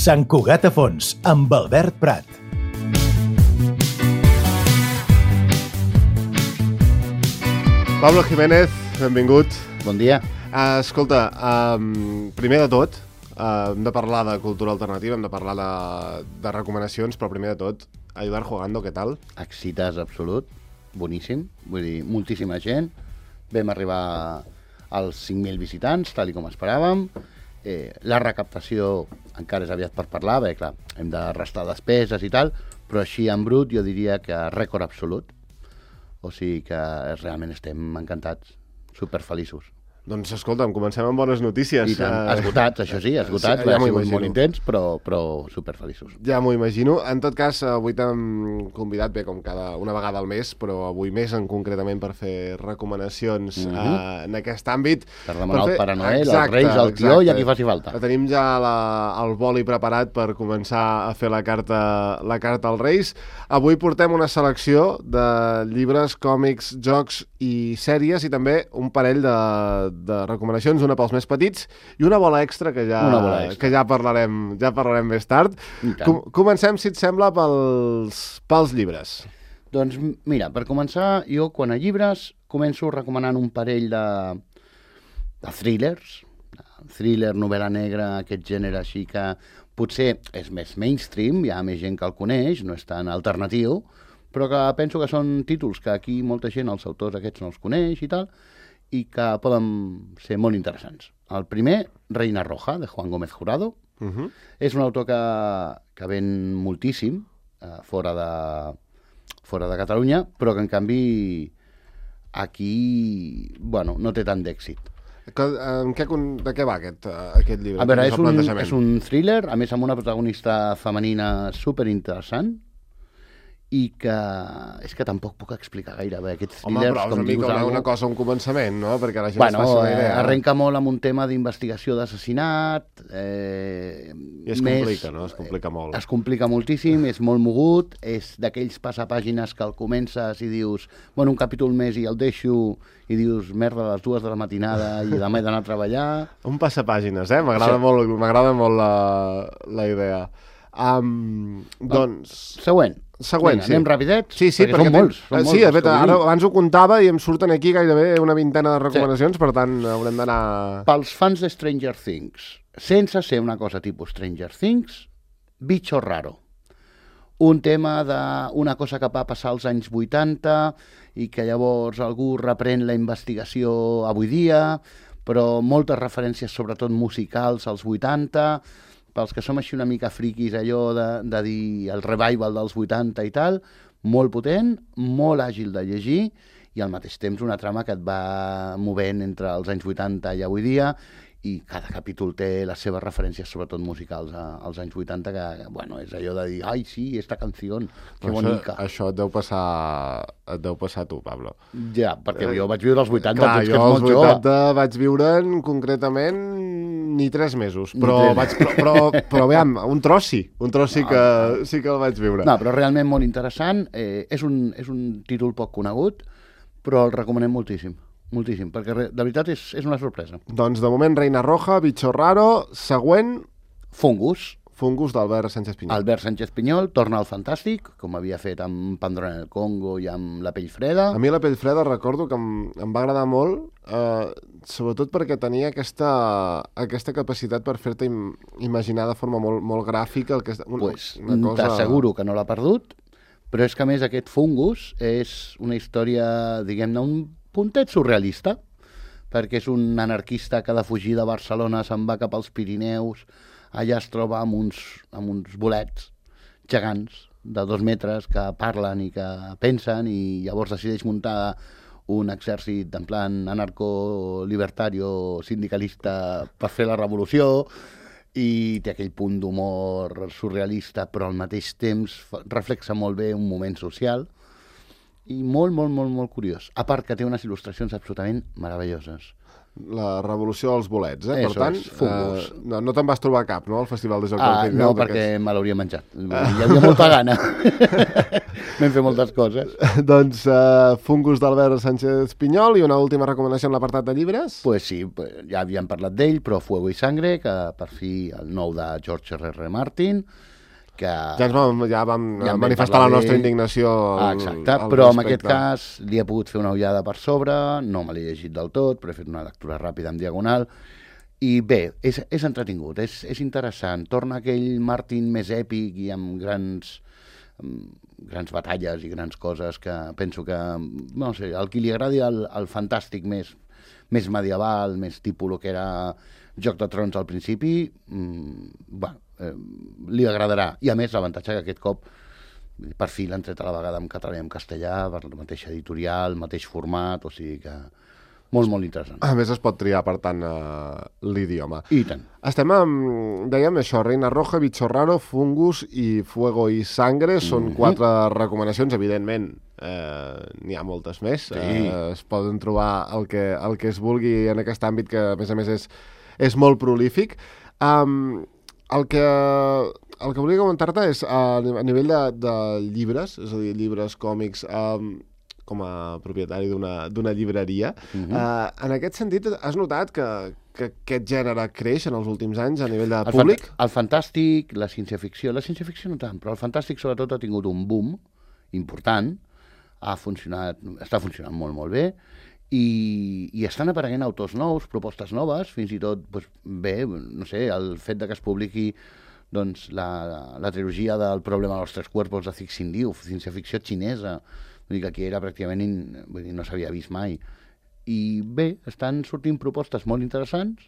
Sant Cugat a Fons, amb Albert Prat. Pablo Jiménez, benvingut. Bon dia. Escolta, primer de tot, hem de parlar de cultura alternativa, hem de parlar de recomanacions, però primer de tot, Ayudar Jugando, què tal? Excitàs absolut, boníssim, vull dir, moltíssima gent. Vam arribar als 5.000 visitants, tal com esperàvem. La recaptació encara és aviat per parlar, perquè clar, hem de restar despeses i tal, però així en brut jo diria que rècord absolut. O sigui que realment estem encantats, superfeliços. Doncs escolta'm, comencem amb bones notícies. I tant, esgotats, això sí, esgotats, ja va m'ho ser imagino. molt intens, però superfeliços. Ja m'ho imagino. En tot cas, avui t'hem convidat, bé, com una vegada al mes, però avui més en concretament per fer recomanacions en aquest àmbit. Per demanar al Pare Noel, als Exacte, Reis, al tió i a qui faci falta. Tenim ja el boli preparat per començar a fer la carta als Reis. Avui portem una selecció de llibres, còmics, jocs i sèries i també un parell de recomanacions, una pels més petits i una bola extra que ja parlarem més tard. Comencem, si et sembla, pels llibres. Doncs mira, per començar, jo quan a llibres començo recomanant un parell de thrillers, thriller, novel·la negra, aquest gènere així que potser és més mainstream, hi ha més gent que el coneix, no és tan alternatiu, però que penso que són títols que aquí molta gent, els autors aquests no els coneix i tal, i que poden ser molt interessants. El primer, Reina Roja, de Juan Gómez Jurado. És un autor que ven moltíssim fora de Catalunya, però que en canvi aquí no té tant d'èxit. De què va aquest llibre? A veure, és un thriller, a més amb una protagonista femenina superinteressant, i que és que tampoc puc explicar gaire bé aquests thrillers. Home, però és una mica una cosa, un començament, no? Perquè la gent es faci una idea. Arrenca molt amb un tema d'investigació d'assassinat. I es complica, no? Es complica molt. Es complica moltíssim, és molt mogut, és d'aquells passapàgines que el comences i dius, un capítol més i el deixo, i dius, merda, a les 2 de la matinada i demà he d'anar a treballar. Un passapàgines, m'agrada molt la idea. Doncs... Següent. Vinga, sí. Anem rapidet? Sí, perquè són molts. Sí, de fet, ara abans ho comptava i em surten aquí gairebé una vintena de recomanacions, per tant, haurem d'anar... Pels fans de Stranger Things, sense ser una cosa tipus Stranger Things, Bicho Raro. Un tema d'una cosa que va passar als anys 80 i que llavors algú reprèn la investigació avui dia, però moltes referències, sobretot musicals, als 80... Pels que som així una mica friquis, allò de dir el revival dels 80 i tal, molt potent, molt àgil de llegir i al mateix temps una trama que et va movent entre els anys 80 i avui dia i cada capítol té les seves referències, sobretot musicals, als anys 80, que, és allò de dir, ai, sí, esta canció, que bonica. Això et deu passar a tu, Pablo. Ja, perquè jo vaig viure els 80, clar, jo els 80 vaig viure'n concretament ni 3 mesos, però aviam, un tros sí que el vaig viure. No, però realment molt interessant, és un títol poc conegut, però el recomanem moltíssim, perquè de veritat és una sorpresa. Doncs de moment Reina Roja, Bicho Raro, següent... Fungus d'Albert Sánchez Pinyol. Albert Sánchez Pinyol torna al fantàstic, com havia fet amb Pandora en el Congo i amb La pell freda. A mi La pell freda recordo que em va agradar molt, sobretot perquè tenia aquesta capacitat per fer-te imaginar de forma molt gràfica. T'asseguro que no l'ha perdut, però és que a més aquest Fungus és una història, diguem-ne, un puntet surrealista, perquè és un anarquista que ha de fugir de Barcelona, se'n va cap als Pirineus, allà es troba amb uns bolets gegants de 2 metres que parlen i que pensen i llavors decideix muntar un exèrcit en plan anarco-libertario sindicalista per fer la revolució i té aquell punt d'humor surrealista però al mateix temps reflexa molt bé un moment social i molt, molt, molt, molt curiós. A part que té unes il·lustracions absolutament meravelloses. La revolució dels bolets, Per Eso tant, és, Fungus. no te'n vas trobar cap, no?, al Festival de Joc del Pirineu. No, perquè me l'hauria menjat. Hi havia molta gana. Vam fer moltes coses. Doncs Fungus d'Albert Sánchez Pinyol i una última recomanació en l'apartat de llibres. Pues sí, ja havíem parlat d'ell, però Fuego y Sangre, que per fi el nou de George R.R. Martin, que... Ja vam manifestar la nostra indignació exacte, però en aquest cas li he pogut fer una ullada per sobre, no me l'he llegit del tot, però he fet una lectura ràpida en diagonal, i bé, és entretingut, és interessant, torna aquell Martin més èpic i amb grans batalles i grans coses que penso que, no sé, el qui li agradi el fantàstic més medieval, més tipus el que era Joc de Trons al principi, li agradarà. I a més, l'avantatge que aquest cop per fi l'han tret a la vegada en català i en castellà, per la mateixa editorial, mateix format, o sigui que molt, molt interessant. A més, es pot triar, per tant, l'idioma. I tant. Estem amb, dèiem això, Reina Roja, Bicho Raro, Fungus i Fuego y Sangre. Són 4 recomanacions, evidentment. N'hi ha moltes més. Sí. Es poden trobar el que es vulgui en aquest àmbit, que a més és molt prolífic. El que volia comentar-te és a nivell de llibres, és a dir, llibres, còmics, com a propietari d'una llibreria. En aquest sentit, has notat que aquest gènere creix en els últims anys a nivell de públic? El fantàstic, la ciència-ficció no tant, però el fantàstic sobretot ha tingut un boom important, està funcionant molt, molt bé, i estan apareguent autors nous, propostes noves, fins i tot, doncs, bé, no sé, el fet de que es publiqui doncs, la trilogia del Problema de los Tres Cuerpos de Cixin Liu, ciència-ficció xinesa, vull dir que aquí era pràcticament, no s'havia vist mai. I bé, estan sortint propostes molt interessants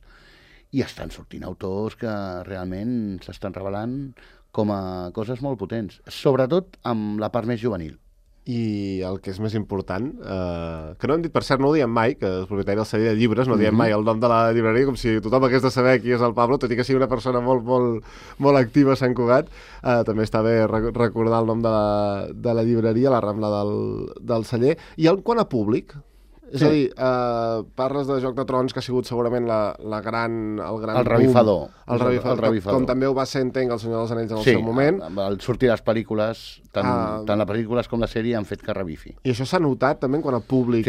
i estan sortint autors que realment s'estan revelant com a coses molt potents, sobretot amb la part més juvenil. I el que és més important, que no hem dit, per cert, no ho diem mai, que el propietari del celler de llibres, no diem mai el nom de la llibreria, com si tothom hagués de saber qui és el Pablo, tot i que sigui una persona molt, molt, molt activa a Sant Cugat. També està bé recordar el nom de la llibreria, la Rambla del celler. I quant a públic, és a dir, parles de Joc de Trons, que ha sigut segurament el gran el revifador. El revifador. Com també ho va ser, entenc, el Senyor dels Anells en el seu moment. Sí, al sortir les pel·lícules, tant les pel·lícules com la sèrie han fet que revifi. I això s'ha notat també quant a públic?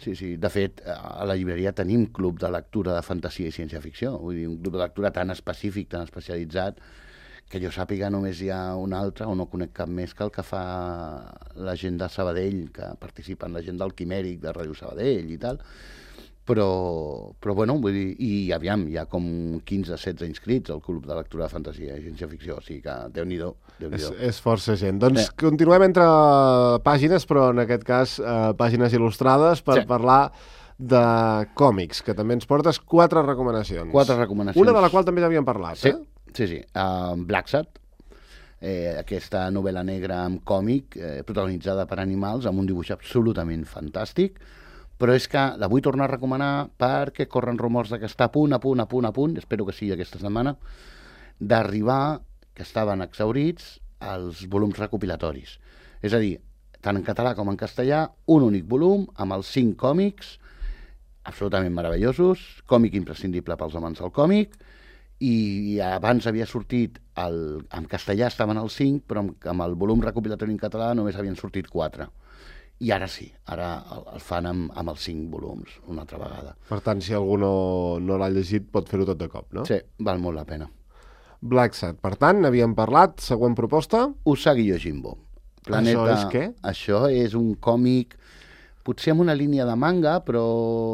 Sí. De fet, a la llibreria tenim club de lectura de fantasia i ciència-ficció. Vull dir, un club de lectura tan específic, tan especialitzat, que jo sàpiga només hi ha un altre, o no conec cap més, que el que fa la gent de Sabadell, que participa en la gent del Quimèric, de Ràdio Sabadell i tal, però bueno, vull dir, i aviam, hi ha com 15-16 inscrits al Club de Lectura de Fantasia i Ciència-Ficció, o sigui que Déu-n'hi-do. És força gent. Doncs continuem entre pàgines, però en aquest cas pàgines il·lustrades, per parlar de còmics, que també ens portes 4 recomanacions. 4 recomanacions. Una de la qual també ja havíem parlat, Sí. Blacksat, aquesta novel·la negra amb còmic, protagonitzada per animals, amb un dibuix absolutament fantàstic, però és que la vull tornar a recomanar perquè corren rumors que està a punt, espero que sigui aquesta setmana, d'arribar, que estaven exhaurits, als volums recopilatoris. És a dir, tant en català com en castellà, un únic volum amb els 5 còmics, absolutament meravellosos, còmic imprescindible pels amants del còmic, i abans havia sortit, en castellà estaven els 5, però amb el volum recopilatori en català només havien sortit 4. I ara sí, ara el fan amb els 5 volums, una altra vegada. Per tant, si algú no l'ha llegit, pot fer-ho tot de cop, no? Sí, val molt la pena. Blacksat, per tant, havíem parlat, següent proposta. Usagi Yojimbo. Això és què? Això és un còmic, potser amb una línia de manga, però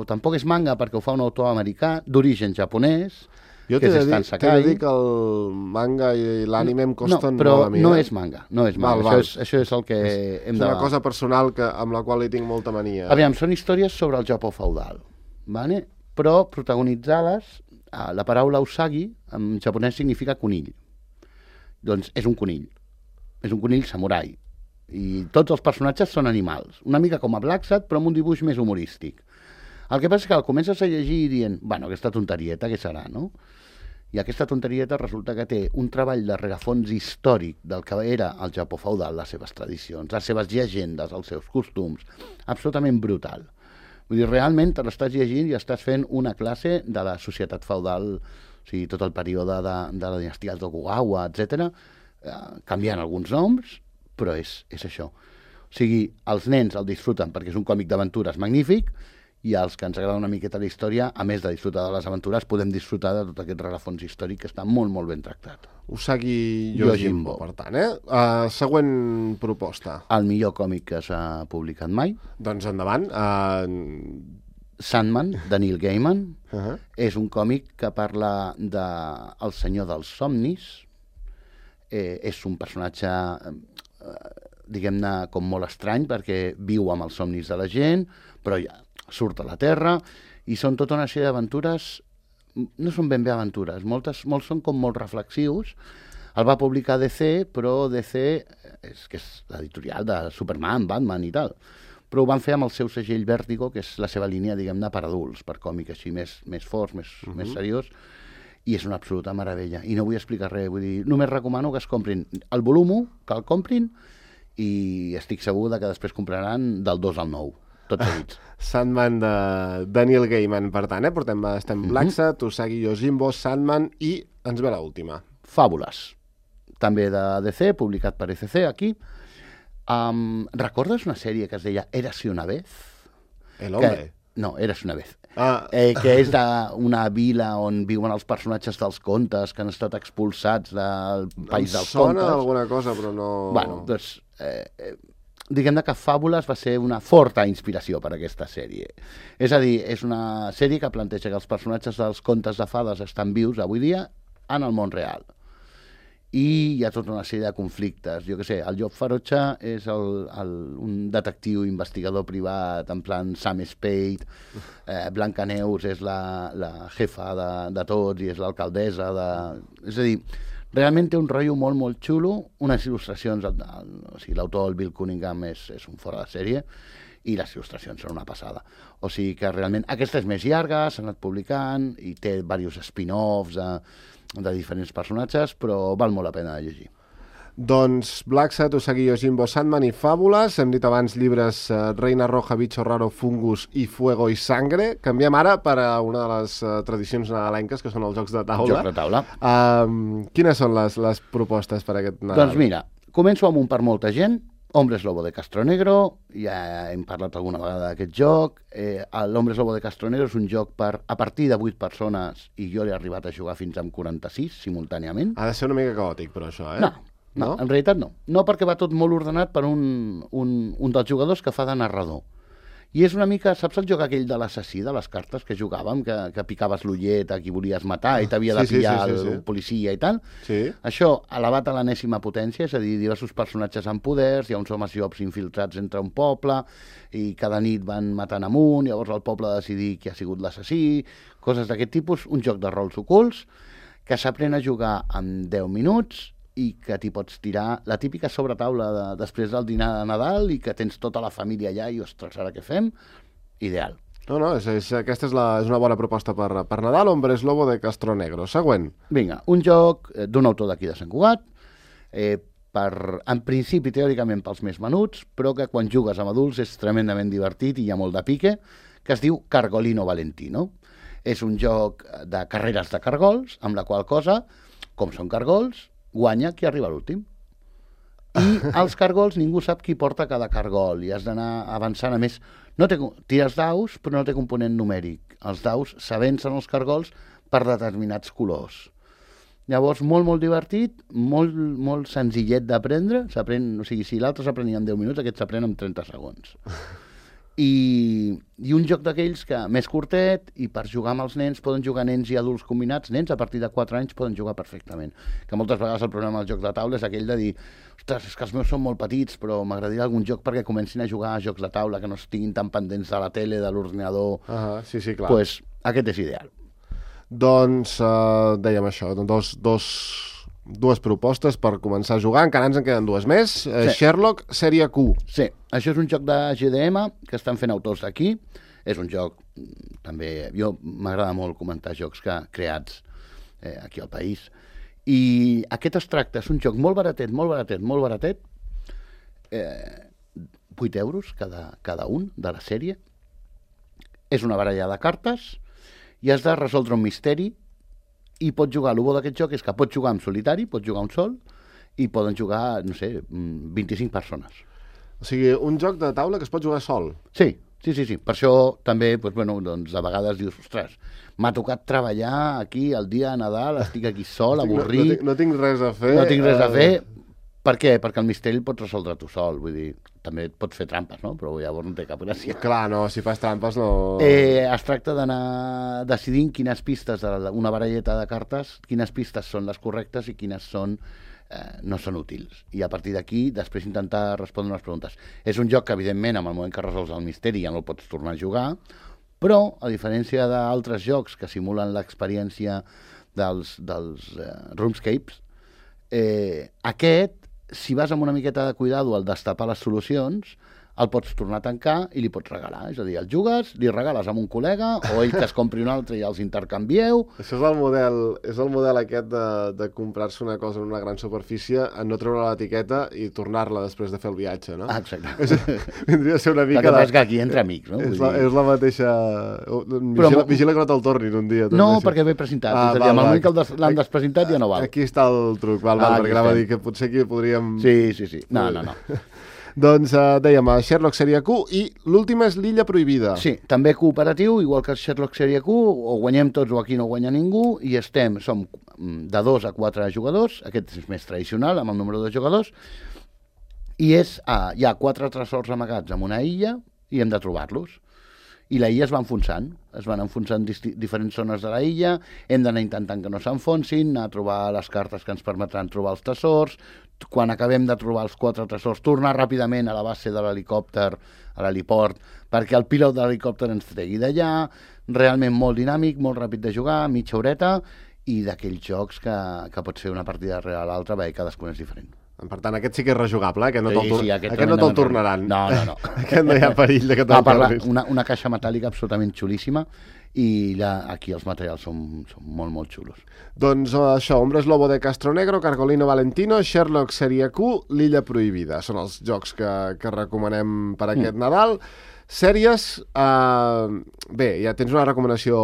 tampoc és manga perquè ho fa un autor americà, d'origen japonès. Jo t'he de dir que el manga i l'ànime em costen molt a mi. No és manga. Això és el que hem de... És una cosa personal amb la qual hi tinc molta mania. Aviam, són històries sobre el Japó feudal, però protagonitzades, la paraula usagi en japonès significa conill. Doncs és un conill samurai. I tots els personatges són animals, una mica com a Blacksat, però amb un dibuix més humorístic. El que passa és que el comences a llegir dient, aquesta tonterieta, què serà, no? I aquesta tonterieta resulta que té un treball de rerefons històric del que era el Japó feudal, les seves tradicions, les seves llegendes, els seus costums, absolutament brutal. Vull dir, realment te l'estàs llegint i estàs fent una classe de la societat feudal, o sigui, tot el període de la dinastia Tokugawa, etc. Canviant alguns noms, però és això. O sigui, els nens el disfruten perquè és un còmic d'aventures magnífic, i els que ens agrada una miqueta la història, a més de disfrutar de les aventures, podem disfrutar de tot aquest rerefons històric que està molt, molt ben tractat. Usagi Yojimbo, per tant, següent proposta. El millor còmic que s'ha publicat mai. Doncs endavant. Sandman, de Neil Gaiman. És un còmic que parla del senyor dels somnis. És un personatge, diguem-ne, com molt estrany, perquè viu amb els somnis de la gent, però ja surt a la Terra, i són tota una sèrie d'aventures, no són ben bé aventures, molts són com molt reflexius. El va publicar DC, però DC que és l'editorial de Superman, Batman i tal, però ho van fer amb el seu segell Vértigo, que és la seva línia, diguem-ne, per adults, per còmic així més forts, més seriós, i és una absoluta meravella. I no vull explicar res, vull dir, només recomano que es comprin el volum 1, que el comprin, i estic segur que després compraran del 2 al 9. Tots seguits. Sandman de Daniel Gaiman, per tant, estem Blacksat, Usagi Yojimbo, Sandman, i ens ve l'última. Fàbules. També de DC, publicat per ECC, aquí. Recordes una sèrie que es deia Érase una vez? El hombre? No, Érase una vez. Que és d'una vila on viuen els personatges dels contes que han estat expulsats del país dels contes. Em sona alguna cosa, però no... Bueno, doncs... diguem-ne que Fàbules va ser una forta inspiració per a aquesta sèrie. És a dir, és una sèrie que planteja que els personatges dels contes de fades estan vius avui dia en el món real. I hi ha tota una sèrie de conflictes. Jo què sé, el Job Farotxa és un detectiu investigador privat, en plan Sam Spade, Blancaneus és la jefa de tots i és l'alcaldessa de... És a dir, realment té un rotllo molt, molt xulo, unes il·lustracions, o sigui, l'autor, el Bill Cunningham, és un fora de sèrie, i les il·lustracions són una passada. O sigui que realment, aquesta és més llarga, s'ha anat publicant, i té diversos spin-offs de diferents personatges, però val molt la pena de llegir. Doncs Blacksat, Usagi Yojimbo, Sandman i Fàbules. Hem dit abans llibres Reina Roja, Bicho Raro, Fungus i Fuego i Sangre. Canviem ara per a una de les tradicions nadalenques, que són els jocs de taula. Jocs de taula. Quines són les propostes per a aquest Nadal? Doncs mira, començo amb un per molta gent, Hombres Lobo de Castronegro, ja hem parlat alguna vegada d'aquest joc. L'Hombres Lobo de Castronegro és un joc a partir de 8 persones, i jo l'he arribat a jugar fins amb 46 simultàniament. Ha de ser una mica caòtic, però això, No, en realitat no. No, perquè va tot molt ordenat per un dels jugadors que fa de narrador. I és una mica, saps el joc aquell de l'assassí, de les cartes que jugàvem, que picaves l'ullet a qui volies matar i t'havia de pillar el policia i tal? Sí. Això, elevat a l'enèsima potència, és a dir, diversos personatges amb poders, hi ha uns homes llops infiltrats entre un poble, i cada nit van matant amunt, llavors el poble ha de decidir qui ha sigut l'assassí, coses d'aquest tipus, un joc de rols ocults, que s'aprèn a jugar en 10 minuts, i que t'hi pots tirar la típica sobretaula després del dinar de Nadal i que tens tota la família allà i, ostres, ara què fem? Ideal. No, aquesta és una bona proposta per Nadal, Hombres Lobo de Castronegro. Següent. Vinga, un joc d'un autor d'aquí de Sant Cugat, en principi, teòricament, pels més menuts, però que quan jugues amb adults és tremendament divertit i hi ha molt de pique, que es diu Cargolino Valentino. És un joc de carreres de cargols, amb la qual cosa, com són cargols, guanya qui arriba a l'últim. I els cargols, ningú sap qui porta cada cargol, i has d'anar avançant. A més, tires daus, però no té component numèric. Els daus s'avencen els cargols per determinats colors. Llavors, molt, molt divertit, molt, molt senzillet d'aprendre. O sigui, si l'altre s'aprenia en 10 minuts, aquest s'aprèn en 30 segons. I un joc d'aquells que més curtet, i per jugar amb els nens poden jugar nens i adults combinats. Nens a partir de 4 anys poden jugar perfectament, que moltes vegades el problema del joc de taula és aquell de dir, ostres, és que els meus són molt petits, però m'agradaria algun joc perquè comencin a jugar a jocs de taula, que no estiguin tan pendents de la tele, de l'ordinador. Sí, clar. Pues aquest és ideal. Doncs dèiem això, dues propostes per començar a jugar, encara ens en queden dues més. Sí. Sherlock, sèrie Q. Sí, això és un joc de GDM que estan fent autors d'aquí. És un joc, també, jo m'agrada molt comentar jocs creats aquí al país. I aquest es tracta, és un joc molt baratet, 8 euros cada un de la sèrie, És una baralla de cartes i has de resoldre un misteri i pots jugar, el bo d'aquest joc és que pots jugar en solitari, pots jugar un sol i poden jugar, no sé, 25 persones. O sigui, un joc de taula que es pot jugar sol. Sí. Per això també, doncs, a vegades dius, ostres, m'ha tocat treballar aquí el dia de Nadal, estic aquí sol, avorrit... No tinc res a fer. No tinc res a fer. Per què? Perquè el misteri el pots resoldre tu sol, vull dir, també et pots fer trampes, no? Però llavors no té cap gràcia. Clar, no, si fas trampes no... Es tracta d'anar decidint quines pistes d'una baralleta de cartes, quines pistes són les correctes i quines són no són útils. I a partir d'aquí, després intentar respondre unes preguntes. És un joc que, evidentment, en el moment que resols el misteri ja no el pots tornar a jugar, però, a diferència d'altres jocs que simulen l'experiència dels RuneScapes, aquest, si vas amb una miqueta de cuidado al destapar les solucions, el pots tornar a tancar i li pots regalar. És a dir, el jugues, li regales a un col·lega o ell que es compri un altre i els intercanvieu. Això és el model aquest de comprar-se una cosa en una gran superfície, en no treure l'etiqueta i tornar-la després de fer el viatge, no? Ah, exacte. Vindria a ser una mica... El que passa que aquí entre amics, no? És la mateixa... Vigila que no te'l tornin un dia. No, perquè ve presentat. És a dir, en el moment que l'han despresentat ja no val. Aquí està el truc, perquè anava a dir que potser aquí podríem... Sí. No. Doncs dèiem, Sherlock Sèrie Q i l'última és l'Illa Prohibida. Sí, també cooperatiu, igual que el Sherlock Sèrie Q, o guanyem tots o aquí no guanya ningú, i som de 2 a 4 jugadors, aquest és més tradicional, amb el número de jugadors, i hi ha 4 tresors amagats en una illa i hem de trobar-los. I la illa es va enfonsant diferents zones de la illa, hem d'anar intentant que no s'enfonsin, anar a trobar les cartes que ens permetran trobar els tresors, quan acabem de trobar els 4 tresors, tornar ràpidament a la base de l'helicòpter, a l'heliport, perquè el pilot de l'helicòpter ens tregui d'allà, realment molt dinàmic, molt ràpid de jugar, mitja horeta, i d'aquells jocs que pot ser una partida rere l'altra, perquè cadascun és diferent. Per tant, aquest sí que és rejugable, aquest aquest no te'l tornaran. No. Aquest no hi ha perill de que te'l tornis. Una caixa metàl·lica absolutament xulíssima i aquí els materials són molt, molt xulos. Doncs això, Hombres Lobo de Castronegro, Cargolino Valentino, Sherlock Sèrie Q, l'Illa Prohibida. Són els jocs que recomanem per aquest Nadal. Sèries, bé, ja tens una recomanació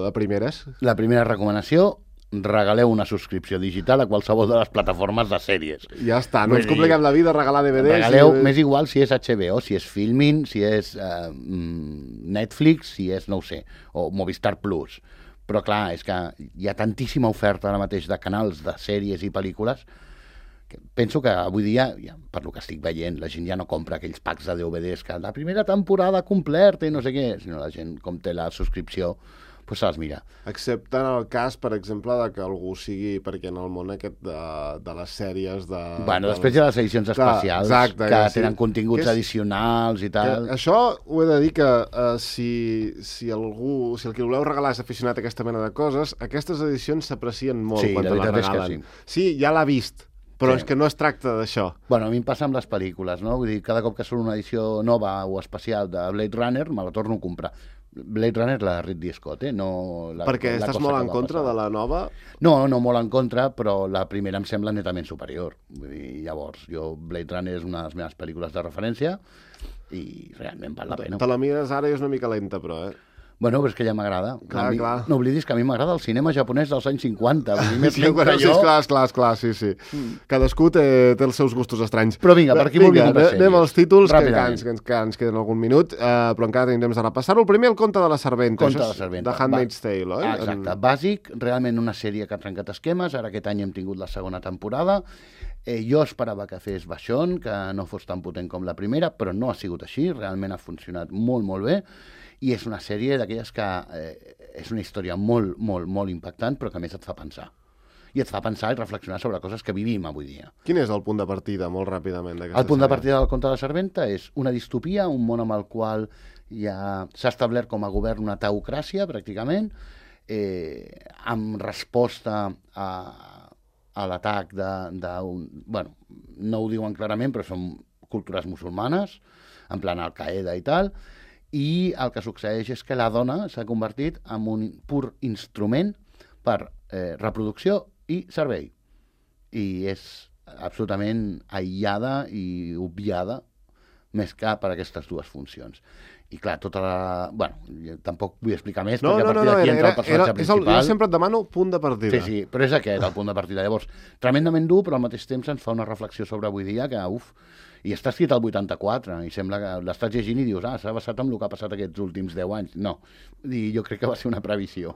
de primeres? La primera recomanació, regaleu una subscripció digital a qualsevol de les plataformes de sèries. Ja està, no ens compliquem la vida, regalar DVDs... Regaleu, m'és igual si és HBO, si és Filmin, si és Netflix, si és, no ho sé, o Movistar Plus. Però clar, és que hi ha tantíssima oferta ara mateix de canals, de sèries i pel·lícules, que penso que avui dia, per lo que estic veient, la gent ja no compra aquells packs de DVDs que la primera temporada completa i no sé què, sinó la gent, com té la subscripció, pues se les mira. Excepte en el cas, per exemple, de que algú sigui, perquè en el món aquest de les sèries de... Bueno, després hi ha les edicions especials, exacte, que tenen continguts addicionals i tal. Això ho he de dir que si el que voleu regalar és aficionat a aquesta mena de coses, aquestes edicions s'aprecien molt quan te les regalen. Sí, ja l'ha vist, però és que no es tracta d'això. Bueno, a mi em passa amb les pel·lícules, no? Vull dir, cada cop que surt una edició nova o especial de Blade Runner, me la torno a comprar. Blade Runner, la de Ridley Scott, no... Perquè estàs molt en contra de la nova? No molt en contra, però la primera em sembla netament superior. Vull dir, llavors, Blade Runner és una de les meves pel·lícules de referència i realment val la pena. Te la mires ara i és una mica lenta, però, Bueno, però és que ja m'agrada. Clar. No oblidis que a mi m'agrada el cinema japonès dels anys 50. Clar, sí. Cadascú té els seus gustos estranys. Però vinga, per qui vulgui comprar sèries. Anem als títols, que ens queden algun minut, però encara tenim temps de repassar-ho. El primer, El conte de la serventa. The Handmaid's Tale, oi? Exacte, bàsic, realment una sèrie que ha trencat esquemes. Ara aquest any hem tingut la segona temporada. Jo esperava que fes baixón, que no fos tan potent com la primera, però no ha sigut així, realment ha funcionat molt, molt bé. I és una sèrie d'aquelles que és una història molt, molt, molt impactant, però que a més et fa pensar. I et fa pensar i reflexionar sobre coses que vivim avui dia. Quin és el punt de partida, molt ràpidament, d'aquesta sèrie? El punt de partida del conte de la serventa és una distopia, un món amb el qual ja s'ha establert com a govern una teocràcia, pràcticament, amb resposta a l'atac d'un... Bueno, no ho diuen clarament, però són cultures musulmanes, en plan Al-Qaeda i tal, i el que succeeix és que la dona s'ha convertit en un pur instrument per reproducció i servei. I és absolutament aïllada i obviada més que per aquestes dues funcions. I clar, tota la... Bueno, tampoc vull explicar més, No, perquè a partir d'aquí entra el personatge principal. jo sempre et demano punt de partida. Sí, però és aquest el punt de partida. Llavors, tremendament dur, però al mateix temps ens fa una reflexió sobre avui dia que, i està escrit al 84, i sembla que l'estàs llegint i dius, s'ha basat en el que ha passat aquests últims 10 anys. No, i jo crec que va ser una previsió.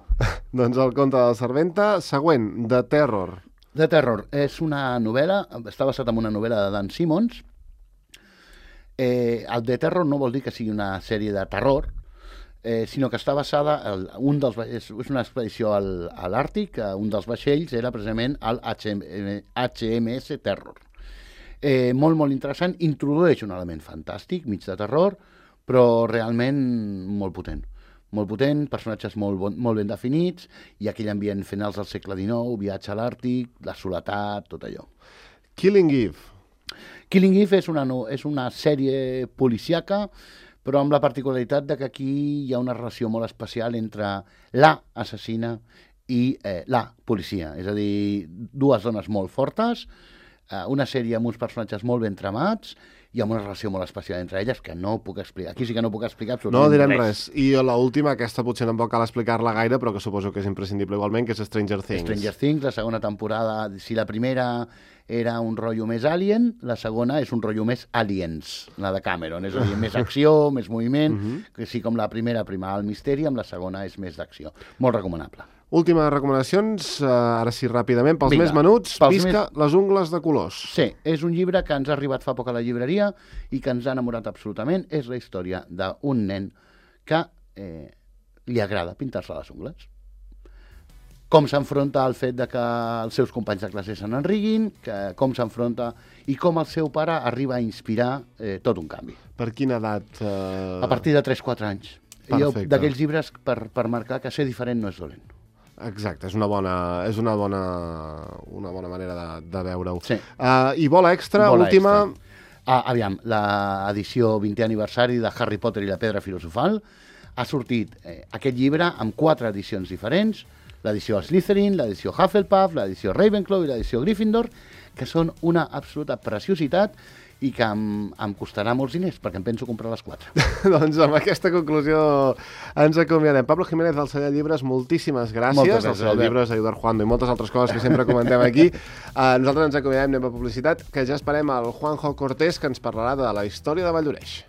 Doncs el conte de la serventa, següent, The Terror. The Terror és una novel·la, està basat en una novel·la de Dan Simmons. El The Terror no vol dir que sigui una sèrie de terror, sinó que està basada, és una expedició a l'Àrtic, un dels vaixells era precisament el HMS Terror. Molt, molt interessant, introdueix un element fantàstic, mig de terror, però realment molt potent. Molt potent, personatges molt ben definits, i aquell ambient finals del segle XIX, viatge a l'Àrtic, la soledat, tot allò. Killing Eve. Killing Eve és una sèrie policíaca, però amb la particularitat de que aquí hi ha una relació molt especial entre la assassina i la policia. És a dir, dues dones molt fortes, una sèrie amb uns personatges molt ben tramats i amb una relació molt especial entre elles que no puc explicar. Aquí sí que no puc explicar absolutament res. No direm res. I l'última, aquesta potser tampoc cal explicar-la gaire, però que suposo que és imprescindible igualment, que és Stranger Things. Stranger Things, la segona temporada, si la primera era un rotllo més Alien, la segona és un rotllo més Aliens, la de Cameron, és a dir, més acció, més moviment, que sí, com la primera primava el misteri, amb la segona és més d'acció. Molt recomanable. Últimes recomanacions, ara sí, ràpidament, pels més menuts, Visca les ungles de colors. Sí, és un llibre que ens ha arribat fa poc a la llibreria i que ens ha enamorat absolutament. És la història d'un nen que li agrada pintar-se les ungles. Com s'enfronta al fet de que els seus companys de classe se n'enriguin, com s'enfronta i com el seu pare arriba a inspirar tot un canvi. Per quina edat? A partir de 3-4 anys. D'aquells llibres per marcar que ser diferent no és dolent. Exacte, és una bona manera de veure-ho. Sí. I bola extra, última... Aviam, l'edició 20è aniversari de Harry Potter i la pedra filosofal ha sortit aquest llibre amb 4 edicions diferents, l'edició Slytherin, l'edició Hufflepuff, l'edició Ravenclaw i l'edició Gryffindor, que són una absoluta preciositat i que em costarà molts diners, perquè em penso comprar les 4. Doncs amb aquesta conclusió ens acomiadem. Pablo Jiménez del Celler Llibres, moltíssimes gràcies. El Celler Llibres, Ayudar Juando i moltes altres coses que sempre comentem aquí. Nosaltres ens acomiadem, anem a publicitat, que ja esperem el Juanjo Cortés, que ens parlarà de la història de Valldoreix.